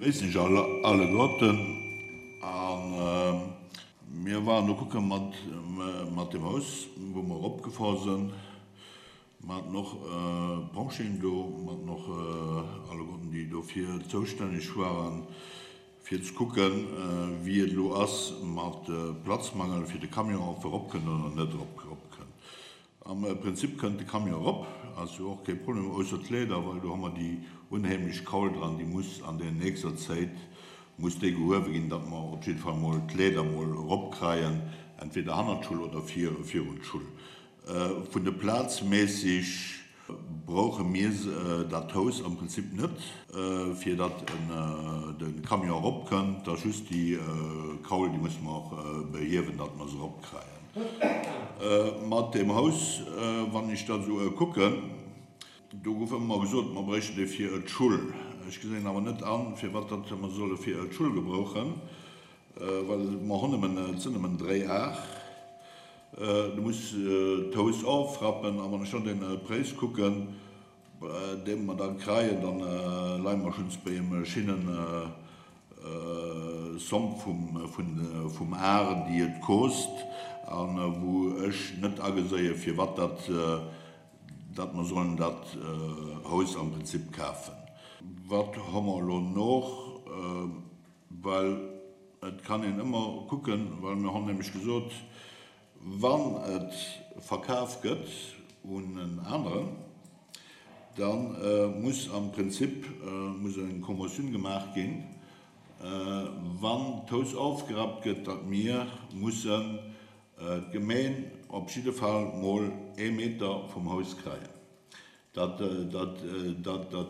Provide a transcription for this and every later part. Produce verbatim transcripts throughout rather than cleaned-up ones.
Begréissen ech alleguerten a mir waren do kucke mat mat dem Haus, wou mer eropgefahr sinn. Mer haten och d'Pompjeeën do, mer haten och alleguerten, déi dofir zoustänneg waren, fir ze kucken, wéi et elo ass mat Platzmangel fir de Camion, ob e eropkënnt oder net eropkënnt. Am Prinzip kënnt de Camion erop, ass jo och kee Problem, ausser d'Leeder, well do hu mer déi unheemlech Kaul dran, déi muss an der nächster Zäit muss déi gehuewe ginn, datt mer op jidde Fall mol d'Leeder mol eropkreien, entweder hannert d'Schull oder virun d'Schull. Vun de Plazméisseg brauche mir dat Haus am Prinzip net, fir datt de Camion eropkënnt. Da just déi Kaul, déi musse mer och behiewen, datt mer se eropkreien. Mat deem Haus, wann ech dat esou kucken, do gouf ëmmer gesot, mer bréichten dee fir d'Schull. Ech gesinn awer net an, firwat datt mer solle fir d'Schull gebrauchen, well mer hunn nëmmen, et sinn nëmmen dréi Ar. Du muss d'Hous ofrappen a wann ech dann den Präis kucken, dee mer da kreien, dann leie mer schonns bei engem schinnen Somme vum Ar, déi et kost a wou ech net ageséie firwat dat datt mer sollen dat Haus am Prinzip kafen. Wat hu mer elo noch? Well et kann een ëmmer kucken, well mir hunn nämlech gesot, wann et verkaf gëtt un en aneren, da muss am Prinzip muss eng Conventioun gemaach ginn, wann d'Haus ofgerappt gëtt, datt mir mussen d'Gemeen op jidde Fall mol ee Meter vum Haus kréien. Dat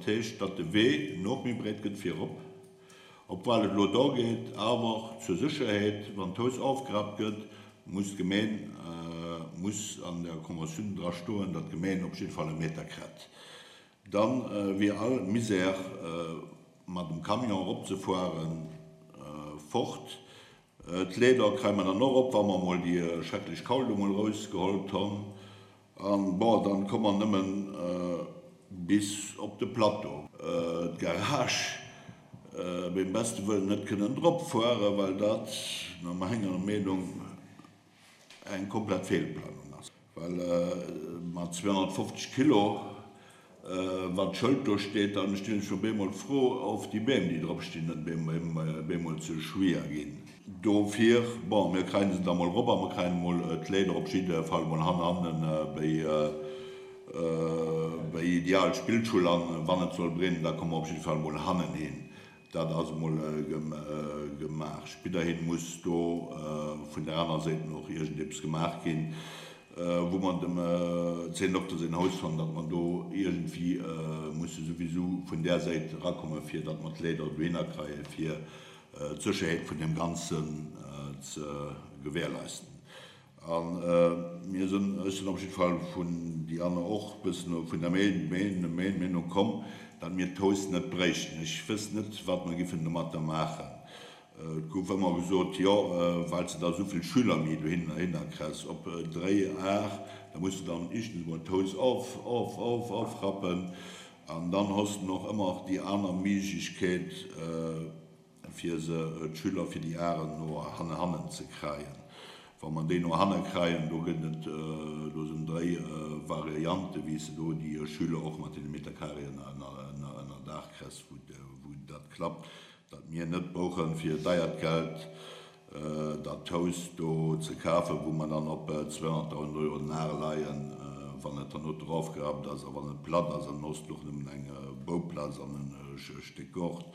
heescht, datt de Wee nach méi breet gëtt virop, obwuel et elo do geet, awer zur Sécherheet, wann d'Haus ofgerappt gëtt, muss d'Gemeen, muss an der Conventioun dra stoen, datt d'Gemeen op jidde Fall e Meter kritt. Da wier all Misär mat dem Camion eropzefueren fort. D'Leeder kréie mer dann och erop, wa mer emol déi schrecklech Kaul do emol erausgeholt hunn. An bon, dann komme mer nëmmen bis op de Plateau. D'Garage beim beste Wëllen net kënnen drop fueren, well dat no menger Meenung eng komplett Feelplanung ass. Well mat zweehonnertfofzeg Kilo, wann d'Schëld do steet, dann stinn ech op eemol d'Fro, of déi Beem, déi drop stinn, net bemol ze schwier ginn. Dofir, bon, mir kréien se da mol erop a mer kréien emol d'Leeder op jidde Fall mol hannerhannen béi béi Ideal Spillschull an wann et soll brennen, da komme mer op jidde Fall mol hannen hin. Dat ass emol gemaach. Spidderhin muss do vun der aner Séit och iergendeppes gemaach ginn, wou mer dem Zénndokter säin Haus fannen, datt mer do iergendwéi musse souwisou vun där Säit erakommen, fir datt mer d'Leeder dohinner kreien, fir d'Sécherheet vun deem Ganzen ze gewährleisten. A mir sinn, ech sinn op jidde Fall vun déi aner och e bëssen vun der Meenung komm, datt mir d'Haus net bréichten. Ech wësst net, wat mer giffen domatter maachen. Et gouf ëmmer gesot, jo, well s de da esou vill Schüler méi dohinner kriss op dréi Ar, da muss de dann éischtens emol d'Haus of, of, of, ofrappen an dann hues de och ëmmer déi aner Méiglechkeet, fir se, d'Schüler fir déi Aren no hannen ze kréien. Wa mer déi no hanne kréien, do gëtt et, do sinn dréi Variante wéi s de do déi Schüler och mat deene Metercarréen ënner Daach kriss, wou dat klappt, datt mir net brauche fir deiert Geld dat Haus do ze kafen, wou mer dann op zweehonnertdausend Euro den Ar leien, wann et dann no erofgerappt ass a wann et platt ass an hues de och nëmmen eng Bouplaz an e Stéck Gort.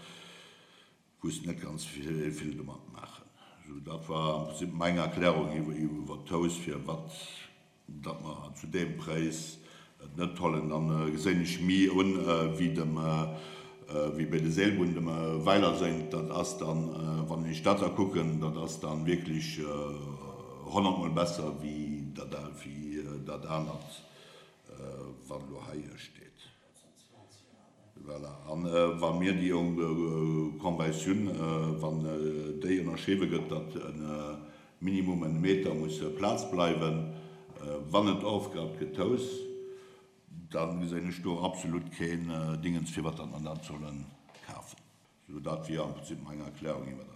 Wusst net ganz vill domat maachen. Sou, dat war am Prinzip meng Erklärung iwwer d'Haus, firwat datt mer zu deem Präis et net hollen. Dann geséin ech mi un wéi dem, wéi bei de Seelbunn dem Weiler séngt. Dat ass dann, wann ech dat da kucken, dat ass dann wierklech honnertmol besser wéi dat, wéi dat anert, wat elo hei steet. Voilà. An wa mir déi Conventioun, wann déi ënnerschriwwe gëtt, datt e minimum en Meter muss Plaz bleiwen, wann et ofgerappt gëtt, d'Haus, da gesinn ech do absolut keen Dingens, firwat datt mer dat solle kafen. Sou, dat wier am Prinzip meng Erklärung iwwer dat.